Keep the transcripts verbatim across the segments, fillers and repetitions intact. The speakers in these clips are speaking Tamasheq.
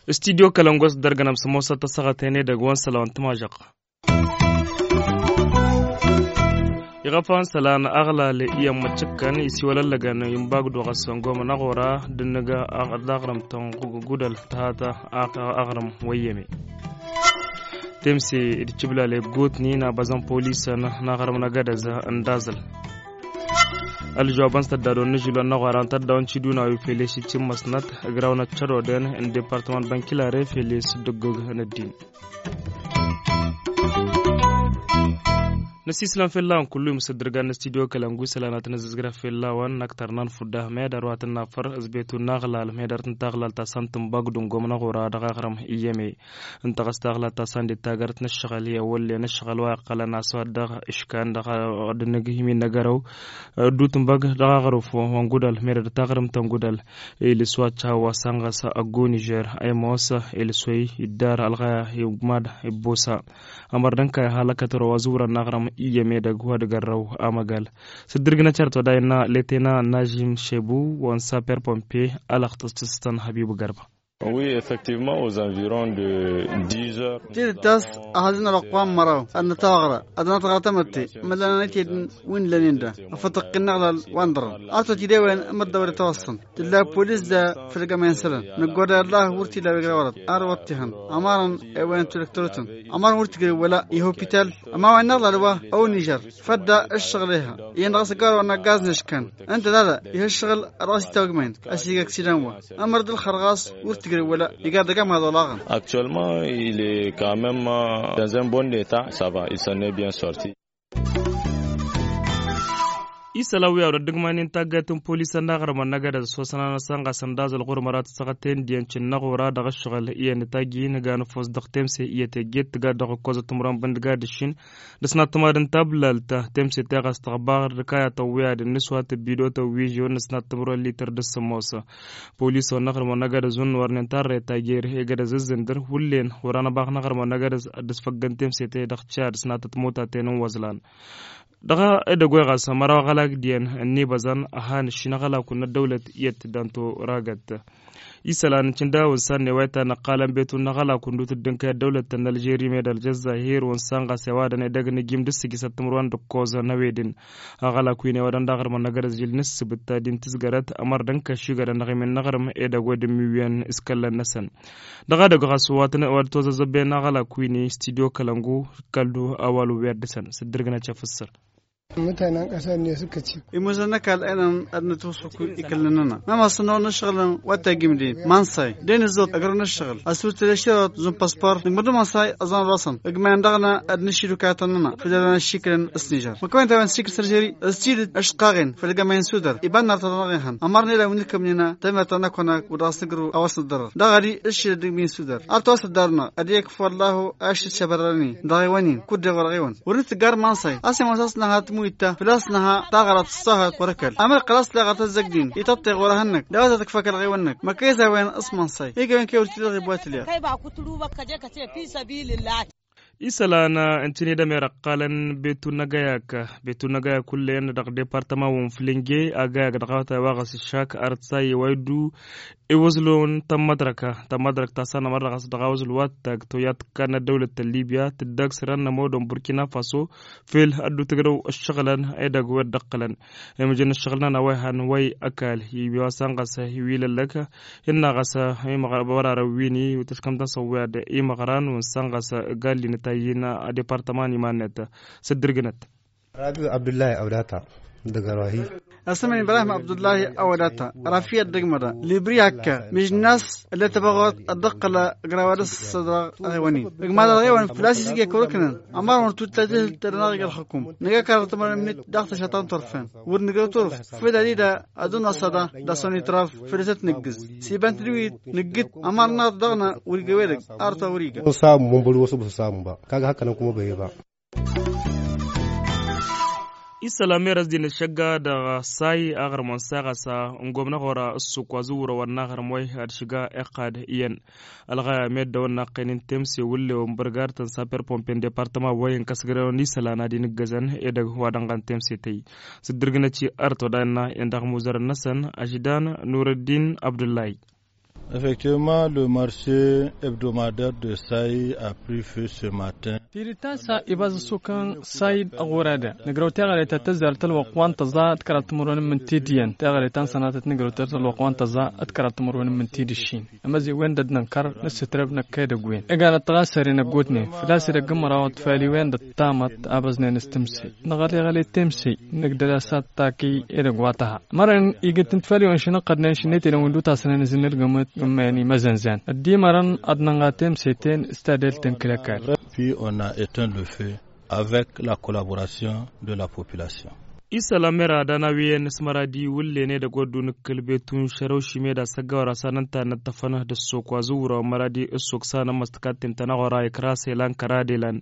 Studio kălăngos dăr-gănăm s-ămoosăt tăsăɣăt-en edăgg wa n-săla wa n-tămažăɣt. Iɣăfan sălan aɣlal i-ămmăčăkkăn isiwălăllăgăn inbagdu ɣas n-gomăn aɣora d-ǝnnǝg d-aɣrǝm tănɣudăl tăhata aɣrǝm wăyyăme. Temse d-cǝblal eggutni n-abăzăn polisăn n-aɣrǝm n-agădăz n-dazǝl. Ălžawăbăn s-tăddadoon n-ažǝlwăn n-aɣora n-tăddaw n-tiduna wi fele s-icǝmmăsnăt ǝgraw n-ăccăroden n-departăman bănkilare fele s-dd-ǝggǝg n-ăddin. Năsiislăm fell-a-wen kullu imǝsǝddǝrgan n-studio kălăngu isălan ad-tăn-ăzzǝzgrăf fell-a-wen n-aktăr n-anfudda medăr wa tăn-nafăr ăzbetu n-aɣlal medăr tăn-taɣlalt ta s-antǝnbagdǝn gomnăɣ ura dăɣ-aɣrǝm iyyăme. Ǝnta ɣas taɣlalt ta s-ande d-tagărt n-ǝššăɣǝl i-awăllen ǝššăɣǝl wa iqqălăn aswat dăɣ-ǝškan dăɣ-ad-dd-nǝgg imin n-agărăw. Ăddu tǝnbăg dăɣ-aɣrǝf wa n-gudăl merăd taɣrǝmt ta n-gudăl. Iliswat cahawa s-anɣas ăggo nižer ăymoos iliswăy iddar ălɣaya igmad ibbusa. Ămăr d-ǝnkăy ăhalăkăt ro wa zǝwrăn n-aɣrǝm iyyăme dăgg wa d-gărrăw amăgal. S-dd-irgǝnăt cărt wa da innă letena n-ažim šebu wa n-saper pompe. Alăɣtăs tǝstăn hăbibu gărba. Oui, effectivement, aux environs de dix heures. Tidǝt a-s ăhăzăn ălwăqq wa n-măraw ad-nătawaɣra ad-nătɣăr tamătte. Măllanăn itedǝn wi n-lănen da afătăqqin n-aɣlal wa n-ḍărăn. Ad-totide-wen ămăddăwăr itawăṣṣăn tǝlla polis da. Făll-gămay n-isălan năggoda ăllah wăr t-ila wi ǝgrawărăt ar wăr t-ihăn. Ămarăn i-wen tulăktărotăn ămarăn wăr t-ǝgrǝw wăla i-hopital. Ămawen n-aɣlal wa ăwnižăr fădda ǝššăɣǝl iha iyyăn dăɣ-s ăggarawăn n-aggaz n-eškan. Ǝnta dada ih' ǝššăɣǝl a dăɣ-s itawăgmăyăn ăsigăksidan wa. Ămăr d-ǝlxăr ɣas wăr t-ǝgrǝw wăla igar dăgg-amaḍ olaɣăn. Actuellement il est quand même dans un bon état, ça va, il s'en est bien sorti. Isălan wi a wăr ăddǝgmani n-taggayt n-polisăn n-aɣrǝmăn n-agădăz s-osănanăsăn ɣas ăndazăl ɣur-măra tǝssăɣăt tendiyăn cǝnnăɣ ora dăɣ-ǝššăɣǝl iyyăn ătajji n-ăganăfos dăɣ-temse iyyăt egget tǝgad dăɣ-ǝkkoẓăt timǝrwen bǝndǝgad ǝššin. Dăɣ-s nattămadăn tablaltă temse teɣas tăɣbar d-kayatăn wi ad-ǝnnǝswat ăbbido tăwwižew n-ăsnat timǝrwen lităr d-ǝssǝmmos. Polisăn n-aɣrǝmăn n-agădăz unnu wărnen tarret tajer egădăz ǝzzǝndăr hullen wăr-anăbax n-aɣrǝmăn n-agădăz. Ad-dd-sfăggăn temse-te dăɣ-cad s-natăt motaten n-wăẓlan. Dăɣ-edăgg wa ɣas ămăraw aɣălak diyyăn ănnibăẓăn ăhan ǝššin aɣălakun n-ăddăwlăt iyyăt d-anto ragăt. Isălan n-cǝnda wa n-sanne wa itannăqqalăn betun n-aɣălakun dut dd-ǝnkăy ăddăwlăt n-alžeri med-ălžăzzahir wa n-san ɣas i-awadăn edăgg n-ijim d-ǝssǝjǝsăt timǝrwen d-ǝkkoẓăn ăwedǝn. Aɣălak wi n-ewadăn d-aɣrǝmăn n-agădăz žil n-ǝssǝbǝt ta din tǝzgărăt ămăr d-ǝnkăš igadăn dăɣ-imin n-aɣrǝm edăgg wa dd-ǝmmiwiyăn s-kăllăn-năsăn. Dăɣ-edăgg ɣas wa tăn-ăwadăt ozăzzăben aɣălak wi n-studio kălăngu. Kăl-du awal uwiyăr dăɣ-săn s-dd-irgǝnăt căf ǝssăr. Imuzăn n-ăkall ăynăn ad-nǝtwăsfăk ikǝllăn-nănăɣ mămăssăn n-ăwănna ǝššăɣǝlăn wa t-agimden manṣay d-e-nǝzzăwăt ăgrăw n-ǝššăɣǝl ăsutǝl eširăwăt zun păspor nǝgmăr d-manṣay ăẓan ălwăṣăn. Ǝgmayăn dăɣ-năɣ ad-nǝššid ukayyătăn-nănăɣ făll-ălwăn ăššikǝlăn s-nižăr măkkăwen ta-wen s-ikǝl s-ăržeri ăssidǝt ăšqaɣen făll-gămay n-sudăr iba n-nărtăt-năɣ ihăn ămărnen ila wi n-ikǝmnen tămert ta n-akăwănag wa dăɣ-s nǝgrǝw a-wa s-nǝddărăr daɣ ad-i ǝššǝl dd-igmi n-sudăr. Ar tawăs-ăddarnăɣ ad-i-ăkf wăllah ašit šabărrănen dăɣ-ewăn-in kud-dăɣ wăr-ɣiwăn wăr-nǝtǝggar manṣay a-s immos a-s nǝha tǝmuyǝt ta făl-a-s năha taɣărat tǝṣṣahăt wăr-ăkall. Amăr iqqăl a-s leɣăr tăzzăgdin ităṭṭeɣ wăr-ehănnăk d-a-wa tăt-ǝkfak ălɣiwăn-năk măkkăy s-a-wen s-manṣay. Ig'-e-wen kăy wăr t-ila ɣibwat ǝlya. Isălan n-tinǝy d-ămer ăqqalăn betu n-agăyak betu n-agăyak hullen dăɣ-departăman wa n-flinge agăyak dăɣ-awătay wa ɣas ǝššak arăt s-a iwaydu. Iwǝẓlon tămmădrăk tămmădrăk ta s-anămăr dăɣ-s dăɣ-awǝẓl wa t-tag toyya tǝkkan n-ăddăwlăt n-libya tǝddag săr-ănnămodăn burkina faso. Fel ăddu tǝgrăw ǝššăɣǝlăn edăgg wa dd-ǝqqǝlăn imǝjăn ǝššăɣǝl-nănăɣ wa ihăn wa i-ăkall i-wa s-ănɣăs i-wi lăllăk. Innă ɣas imăɣrăn wăr-arăw win-i tǝskăm-tăn s-ăwwiyad imăɣran wa n-sănɣăs galli n-tayyin. Departăman iman-net s-dd-irgǝnăt. Rabi abdullahi awdata dăgg-arwahi. Asǝmăn ibrahim abdullahi awdata rafi ad-dăgg-măda libri akka mijnas ǝllet ăbăɣot ad-dd-ăqqăl ăgraw ad-ăssădrăɣ. Aɣiwăn-in ǝgmad ălɣiwăn făl-a-s isǝgge kăwăr-ǝknăn ămărăn wăr tutlăt ehǝl tădănaɣ ig-ălxǝkum nǝgg ăkarrăt timărăn-net daɣ tăšatăn turfen wăr nǝgrăw turǝft făl ad-ida ad-dd-năṣăda d-asăwăn itraf. Făll-s ad-t-nǝggǝz s-iba n-tǝdwit nǝggǝt ămărnăɣ-t dăɣ-năɣ wăr iga wedăgg. Arăt wa wăr iga. Sămba kagg hakk ănănkum ăbăyeba. Isălan merăs d-inǝššăgga dăɣ-say aɣrǝm wa n-saɣasa n-gomnăɣ ora ǝssuk wa zǝwwărăwăn n-aɣrǝm wa i-had-šǝga iqqad iyyăn. Ălɣaya meddăwăn n-aqqăynin temse wǝllewăn bărgadătăn saper pompe n-departăma wa i-inkăsgărewăn isălan ad-inǝggăzăn edăgg wa dănɣan temse tăyy. S-dd-ǝrgǝnăt i-ărăt wa dayǝnna-en dăɣ-imuzărăn-năsăn aždan nurăddin abdullahi. Effectivement, le marché hebdomadaire de saï a pris feu ce matin. Tidǝt ta n-sa ibaz ǝssuk n-saï d-aɣora da nǝgrăw teɣăre ta tăzzar tălwăqq wa n-tăẓa d-kăraḍ timǝrwen n-imǝntid iyyăn teɣăre ta n-sănatăt nǝgrăw tălwăqq wa n-tăẓa d-kăraḍ timǝrwen n-imǝntid ǝššin. Ămăzewwen d-ăddinănkăr n-ǝssǝtrăb năkk edăgg-wen ǝganăt tiɣasări n-ăggootnen făl-a-s edăgg n-imăraw d-faliwen d-ăṭṭamăt a băẓnen s-timsey năɣăleɣăle temsey. Nǝgdăl-as ad-taki edăgg wa tăha mărăn igǝt n-tfaliwen šinăqqădnen šinetăynen wi n-dutasănen ǝzǝnnǝlgǝmăt n-imayăn imăzănzan ăddimărăn ad-nănɣa temseten s-tadelt n-kǝlăkal. Puis on a éteint le feu avec la collaboration de la population. Isălan mera ad-anawiyăn s-măradi wǝllen edăgg wăr dd-unǝkkǝl betun šărăw šime d-asăggawăr a-s ad-nǝnta ad-nǝttăfăn d-ăssok wa zǝwwǝrăwăn măradi ăssok s-anămmăs tǝkatten tănăɣora ikra s-elan kăra d-elan.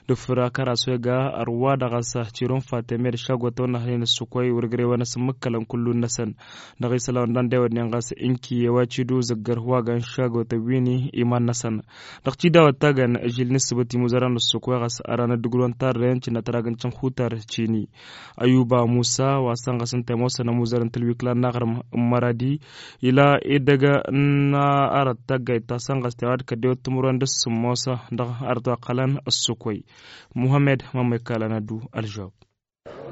Dăfăr akăras wa iga ărwa dăɣ-s tirun fatemed šagotăwăn n-ahănen ăssok wa i-wăr gre-wăn ăsǝmmǝkkălăn kullu-năsăn. Dăɣ-isălan wa n-dăndewăd n-inɣas inki i-wa tidu zǝggăr wa gan šagotăn wini iman-năsăn. Dăɣ-tidawăt ta gan ažil n-ǝssǝbǝt imuzăran n-ăssok wa ɣas ăran ăddǝgrǝwăn tarrăyăn cǝnnăt ragăn cǝnxutar cini. Ayuba musa wa sănɣăs ǝnta i-ămoosăn ămuzăr n-tǝlwikla n-aɣrǝm n-măradi ila edăgg n-arăt taggayt ta sănɣăs tewa d-kăddewăt timǝrwen d-ǝssǝmmosă dăɣ-arăt wa qqălăn ăssukăy. Muhămmed mămmăy kalăn ăddu ălžăwab.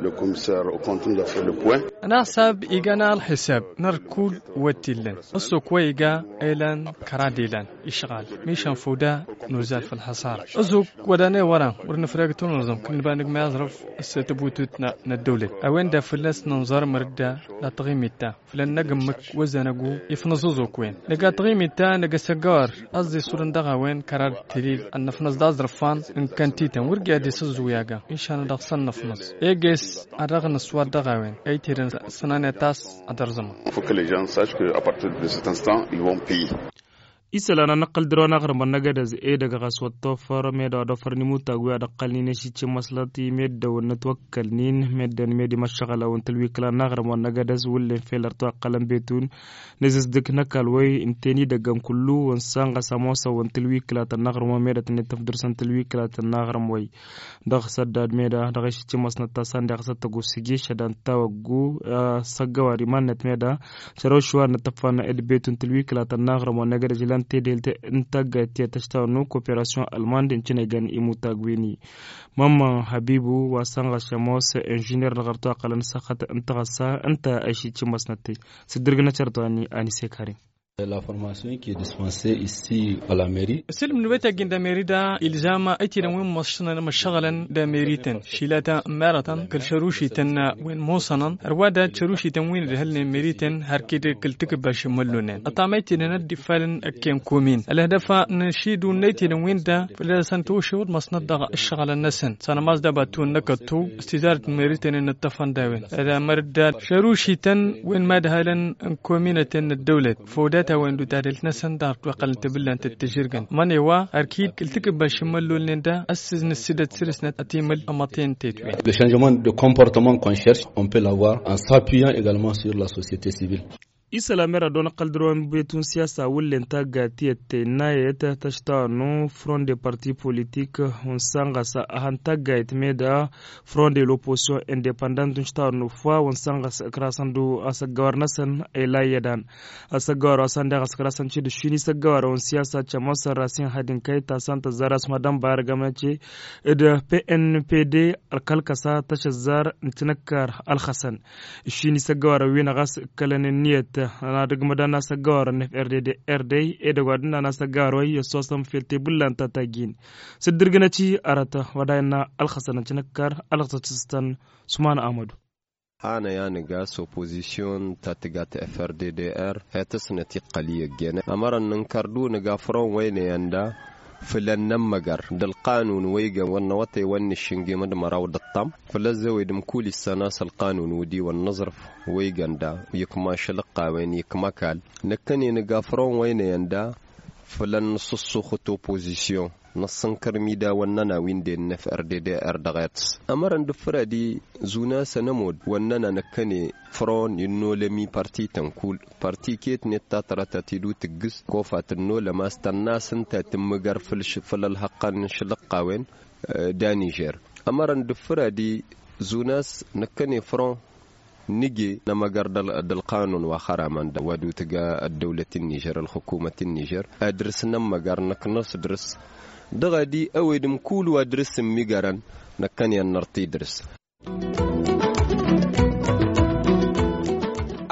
Le commissaire au compte nous a fait le point. Ănaɣsab igan ălxisab n-ărkul wa t-illăn ăssuk wa iga elan kăra d-elan išɣal mišan făw da nuzal făll-xăṣara. Ăzuk wădan ewăran wăr nǝfreg tunǝẓăm kǝnnǝba nǝgmay aẓrǝf s-tăbutut n-ăddăwlăt a-wen da fălla-s nǝnẓăr mărǝdda d-atăɣimit ta făll-ănnăg ǝmmǝk wăzzan ăggu ifnăẓ ăzuk wen nǝga atăɣimit ta nǝga s-ăggawăr ăẓẓisur n-dăɣ-a-wen kărar tilil ănnăfnăẓ d-aẓrǝfan n-kăntităn wăr gǝyad isǝẓẓu i-aga. Išan dăɣ-săn năfnăẓ eges ad-dăɣ-năswad dăɣ-a-wen ăytedăn sănanăt a-s ad-ărẓǝmăn. Faut que les gens sachent que à partir de cet instant ils vont payer. Isălan a nǝqqăl dăr-wa n-aɣrǝm ănnăgădăz edăgg ɣas wăr t-ofăr meddǝn wa d-ofărăn imutag wi ad-ǝqqălnen i-ašicǝmmăslăt i-meddǝn wa n-ătwăkkălnen meddǝn meddǝn imăššăɣălăn wa n-tǝlwikla n-aɣrǝm wa n-năgădăz wǝllen fel ărtwăqqălăn betun. Nǝzǝzdǝk n-ăkall wa i-ǝnten idăggăn kullu wa n-sanɣăs ămoosăn wa n-tǝlwikla ta n-aɣrǝm wa meddǝn tǝnnǝt tǝfdǝrs n-tǝlwikla ta n-aɣrǝm wa i-dăɣ săddad meddǝn dăɣ-išǝcc imăsnăt ta săn deɣ săttăggu s-iješ ad-ăntawăggu. S-ăggăwar iman-net meddǝn šărăw šuwar n-atăffan d-betun tǝlwikla ta n-aɣrǝm wa n-egădăj ilan tedelt n-taggayt tiyyăt tăštawăn n-koperasyon ălmand n-tinăygăn imutag wi-ni. Mămmăn hăbibu wa sănɣăs ămoos inžiner dăɣ-ărtwăqqălăn s-axăt n-taɣăssa ǝnta a išǝcc imăsnăt-tăy. S-dd-ǝrgǝnăt ărtwani anise karim. La formation qui est dispensée ici à la mairie. Ǝsǝlmǝd wa ităggin d-amerida ilzam ăytidăn wi n-măššăɣǝlăn d-amerităn šilata n-merătăn kăl-šărušităn wi n-musănăn ărwa dat šărušităn wi n-ǝdhǝlnen merităn hărkid kăl-tikǝbbaš n-imăllunen ătam ăytidăn ăddifalăn ăkken komin ălhădăf n-ašidun n-ăytidăn wi n-da fălla-săn tăwăšewăd măsnăt dăɣ-ǝššăɣǝlăn-năsăn s-anămaz d-abatun n-akăttu s-tizarăt n-merităn n-ǝṭṭăfăn d-a-wen ădamăr dd-al šărušităn wi n-imadhalăn n-kominăten n-ăddăwlăt făw dat a-wen d-utadelt-năsăn dăɣ-ătwăqqălăn tibǝllant d-tǝžžǝrgăn mănewa arkid kǝl-tikǝbbaš n-imăllolnen da ăssiz n-ǝssidăt săr-snăt ătimǝl ămăṭen tetwen. Le changement de comportement qu'on cherche on peut l'avoir en s'appuyant également sur la société civile. Isălan mera d-onăqqăl dăr-wa n-betun siyasa wǝllen taggayt tiyyăt tennayăt tăštawănnu front de parti politik wa n-sanɣăs a han taggayt meda front de l'opposition independant n-štawănnu fwa wa n-sanɣăs ǝkrasăn d-asăggăwar-năsăn ela iyyădan. Asăggăwar wa s-ăndeɣ ăskăr-asăn cid-ǝššin isăggăwar wa n-siyasa cămosăn rasin hadin kăyta s-ănta ăzzar asmădăn barăgăm năce d-pnpd ălkălkăsa tăšăzzar n-tinăkkar ălxăsăn. Ǝššin isăggăwar wi n-ɣas ǝkkălăn ǝnniyăt n-ad-ǝgmădăn asăggăwar n-frdd. Edăgg wa d-ǝnnan asăggăwar wa i-ăssosăn fel tebǝllan ta tajjin s-dd-ǝrgǝnăt-i arăt wa dayǝnna ălxăsăn n-tinăkkar ălɣăsăt s-tăn. Sumana amădu. Hanăy-anăgg a-s opozisyon ta tǝga ta-frddr hetăsnăt iqqăl i-ăggenăt ămărăn n-inkărdu nǝga front wa ăynăyăn da făll-ănn ămmăgăr d-ălqanun wa igăn wăr năwătăy wa n-nǝššǝngem d-măraw d-ăṭṭam făll-ăzzăwed ǝmkulis săn a-s ălqanun wădiwăn n-aẓrǝf wa igăn da ikma ašăl ǝqqawen ikma ăkall. Năkkăne nǝga front wa ăynăyăn da făll-ănnăṣṣuxăt opozisyon. Năssănkăr midawăn-nănăɣ wi n-dennăf ărdede ărdăɣet. Ămărăn d-ǝffǝr ad-izun a-s ănămod wănnăn a năkkăne fron innolămi parti tănkul parti ketnet ta tărătăt idu tǝggǝs kofa tǝnnolăm a-s tănna s-ǝnta tǝmmǝgăr făll-ălhăqqăn n-išlăqqawen d-anižer. Ămărăn d-ǝffǝr ad-izun a-s năkkăne fron nǝje n-amăgăr d-ălqanun wa xăramăn wa d-utǝga ăddăwlăt n-nižer ălxukumăt n-nižer ad-dăr-s nămmăgăr năkk n-asdăr-s dăɣ-ad-i ăwedǝm kul wa dăr-s ǝmmigărăn năkkăne ănnărti dăr-s.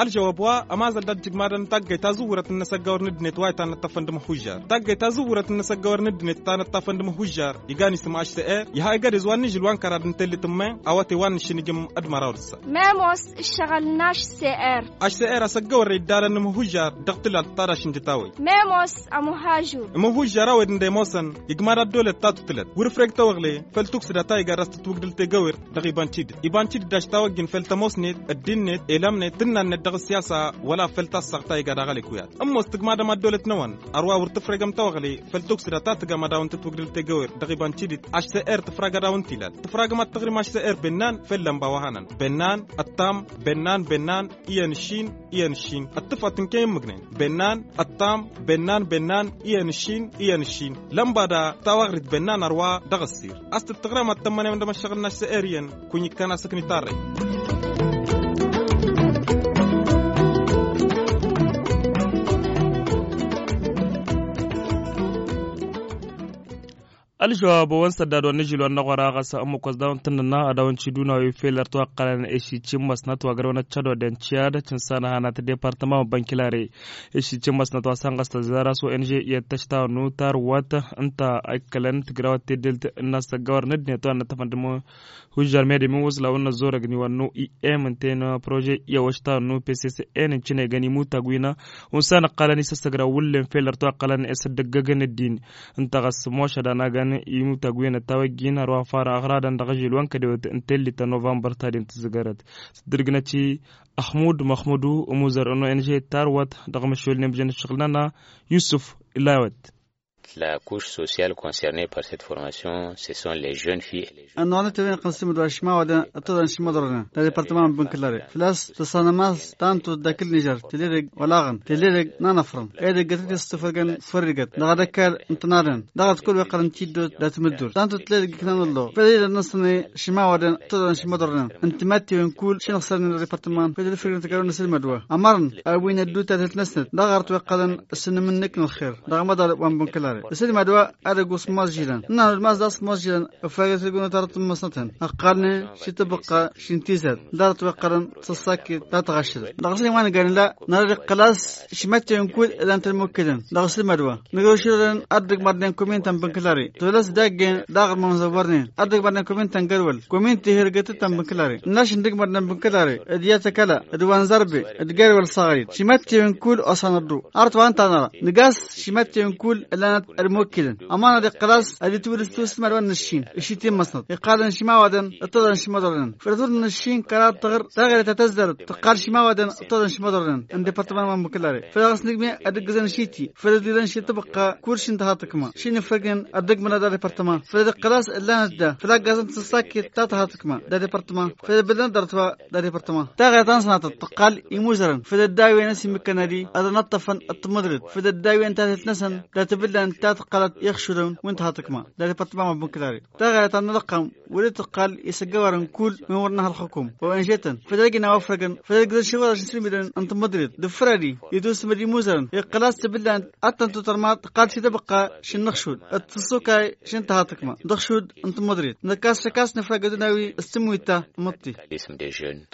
Ălžăwăb wa ămazăl d-ăjjǝgmadăn taggăyt tazǝwwurăt n-inăsăggăwăr n-ăddinăt wa itanăṭṭafăn d-imăhuzžar taggăyt tazǝwwurăt n-inăsăggăwăr n-ăddinăt itanăṭṭafăn d-imăhuzžar iga n-isǝm ašsăr iha igădez wa n-ižǝl wa n-kăraḍ n-tellit n-men awăte wa n-išǝnnǝjǝm d-măraw d-ǝssa. Memos ǝššăɣǝl n-ašsăr. Ašsăr asăggăwărre iddalăn n-imăhuzžar dăɣ-tǝlalt ta d-ašǝnjăt a-wen. Memos ămuhajur. Imăhuzžar a-wen ǝnda imoosăn igmad ăddolăt ta tutǝlăt wăr-ǝfreg tawăɣle făll-tuksǝda ta iga d-ass tǝtwǝgdǝl tegăwert dăɣ-ibancidǝt ibancidǝt daš tawăjjin făll-tămoosnet ăddinnet elamnet tǝnnannet dăɣ-ǝssiyasa wăla făll-tassaɣt ta iga daɣ ălekuyat. Ămoos tǝgmadăm ăddolăt-năwăn ărwa wăr tǝfregăm tawăɣle făll-tuksǝda ta tǝgam ad-dăɣ-wăn tǝtwǝgdǝl tegăwert dăɣ-ibancidǝt ašsăr tǝfrag ad-dăɣ-wăn tilal tǝfragăm ad-tăɣrim ašsăr bennan făll-lămba wa hanăn bennan ăttam bennan bennan iyyăn ǝššin iyyăn ǝššin. Ăṭṭǝfăt n-kăy-ǝmmǝgnen bennan ăṭṭam bennan bennan iyyăn ǝššin iyyăn ǝššin. Lămba da tawăɣrit bennan ărwa dăɣ-ăssir a-s tǝttăɣrăm ad-tămmănem d-amăššăɣǝl n-ašsăr iyyăn. Kunyi-kăn asǝkni tarrăy. Ălžăwab wa n-săddad wa n-ažil wa n-aɣora ɣas ămmăkos daw n-tǝnnăna ad-awăn-t-iduna wi fel ărtăwăqqălăn ešici n-măsnăt wa gărăwăn ăccădodden ciyad cǝnsanăhanat departăma wa n-bănkilare. Ešici n-măsnăt wa săn ɣas tăzzar a-s wa n-j iyyăt tăštawănnu tarwăt ǝnta a ikkălăn tǝjrawăt teddelt n-asăggawăr n-ăddinăt wa n-ăttăfăn d-mă hujjar mede min wăslawăn n-ăzzorăgni wa n-nu i m ǝnta i-năprože iyyăwăš ta wa n-nu pcc n-ǝncǝnegăn imutag wi n-unsan ǝqqalăn isăssăgra wǝllen fel ărtăwăqqălăn s-dd-ăggăgăn ăddin. Ǝnta ɣas mošăd anagăn imutag wi n-ăttawăjjin ărwa fara ăɣradăn dăɣ-ažil wa n-kădewăt n-tellit ta novămbăr ta d-intǝzzǝgărăt s-dd-ǝrgǝnăt-i. Ăxmud măxmudu ămuzăr n-ong tarwăt dăɣ-măššolnen bǝjăn ǝššăɣǝl-nănăɣ yusǝf. Illa wăt. La couche sociale concernée par cette formation ce sont les jeunes filles et les jeunes. Ănnuɣăn-t ăwin ăqqăn s-imǝdwa ašmawadăn ăttăḍăn ašmăḍrănăn d-adipărtăman n-bănkǝllare făl-a-s tăssanăm a-s ta n-tut d-akǝl nižăr tele-dăgg wălaɣăn tele-dăgg n-anăfrăn edăgg ătăt i-s tufăgăn fărrigăt dăɣ-ad-ăkall n-tănadăn dăɣ-ad-kăwăl wi ăqqălăn tiddo d-atmǝddur ta n-tut tele-dăgg iknan ălloɣ făl ila n-năsnăne ašmawadăn ăttăḍăn ašmăḍrănăn ǝnta mad-t-ewăn kull šinăɣsărnen d-adipărtăman făl ila ǝfrǝgăn tăggarăwăn n-asǝlmăd wa ămărăn a-wen ăddutat ǝtnăsnăt dăɣ-aɣrăt wi ăqqălăn s-inǝmǝnnǝk n-ălxer dăɣ-amăḍal wa n-bănkălare asǝlmăd wa ad-ăgg-wăsmăẓžilăn n-anăɣ-dd mas d-asmăẓžilăn ăfragăt ăgg-unăt arăt n-măsnătăn ăqqalnen šităbăqqa šintizad d-arăt wi ăqqălăn s-ăssakket ta tăɣašrăt dăɣ-s n-iman gani la nărăd iqqăl-as šimătte n-kull ǝllan-t ălmukǝlăn dăɣ-s ǝlmădwa nǝgăwšilălăn ad-dd-ǝgmărnen komin ta n-bănkǝlare tolăs daggen daɣ ărmămzăwărnen ad-dd-ǝgmărnen komin ta n-gărwăl komin tihirgătăt ta n-bănkǝlare n-ašǝn dd-ǝgmărnen bănkǝlare d-iyyăt ăkăla d-wa n-zărbe d-gărwăl s-aɣrǝy šimătte n-kull osanăḍḍu arăt wa ǝnta a năra nǝgas šimătte n-kull ǝllanăt ălmukǝlăn ămanăd iqqăl-as ad-itwǝlǝs tusǝlmad wa n-ǝššin ǝššit i-măsnăt iqqalăn šimăwadăn ǝṭṭăḍăn šimăḍrănăn făll-ătur n-ǝššin kăraḍ tăɣr taɣret ta tăzzărăt tăqqal šimăwadăn ǝṭṭăḍăn šimăḍrănăn n-departăman wa n-bănkǝlare făll-dăɣ-s nǝgme ad-ǝggǝzăn šiti făll-ădlilăn šităbăqqa kurš n-tăhatăkma šinǝfrăgnen ad-dd-ǝgmănăd adepărtăma făll-dd-iqqăl-as ǝllanăt da făll-aggaẓăn tăsăsakket ta tăhatăkma d-adepărtăma făll-dd-ǝbǝllanăt dăr-t wa d-adepărtăma taɣăyăt ta n-sănatăt tăqqal imuzărăn făll-dd-a-wen ăsimǝkkăn ad-dd-ănăṭṭăfăn d-tǝmmǝḍrit făll-dd-a-wen tatăt-năsăn dat-ǝbǝllanăt ta tăqqălăt i-ăxšulăn wi n-tăhatăkma d-adepărtăma wa n-bănkǝlare taɣăyăt ta n-alăqqam wăr-dd-tǝqqal isăggăwărăn kull wi n-wăr năha ălxukum wa n-žetăn făll-ălgina wa ăfrăgăn făll-ălgǝzăn šăwăḍăš n-sǝlmidăn n-tǝmmǝḍrit d-ǝffǝr-adi itwǝsǝmǝd imuzărăn iqqăl-as tǝbǝllan ad-tăn-tutărmaḍ tǝqqal šităbăqqa šin n-ăxšud d-tǝssukay šin tăhatăkma d-ăxšud n-tǝmmǝḍrit năkk a-s šăkk a-s nǝfrăgăt d-nawi s-tǝmmuyt ta măṭṭi.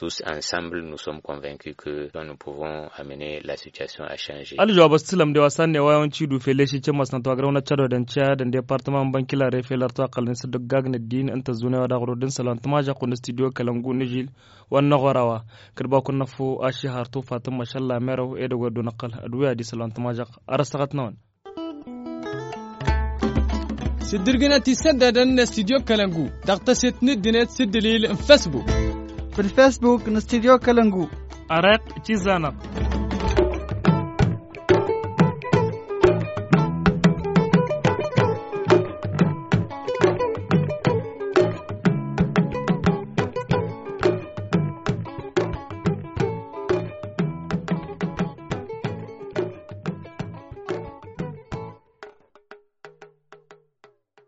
Tous ensemble nous sommes convaincus que nous pouvons amener la situation à changer. Ălžăwab ăssǝlăm d-e-wa s-ad-newăy a-wen tidu fel ešici n-măsnăt wa gărăwăn ăccădodăn ciyad n-departăman n-bănkilare fel ărtăwăqqălăn s-dd-ăggagn ăddin ǝnta ăzzunewa daɣ ărodăn isălan tămažăɣt wa n-studio kălăngu n-ežil wa n-năɣora wa kăd-bakun năfu ašihar tufat n-măšăl lamerew edăgg wa dd-unăqqăl d-wi ad-isălan tămažăɣt. Ar ăssăɣăt-năwăn. S-dd-ǝrgǝnăt isăddadăn n-studio kălăngu dăɣ-tăset n-ǝddinăt s-ǝddǝlil n-fesbuk. Făll-fesbuk n-studio kălăngu. Ăreq cizanăɣ.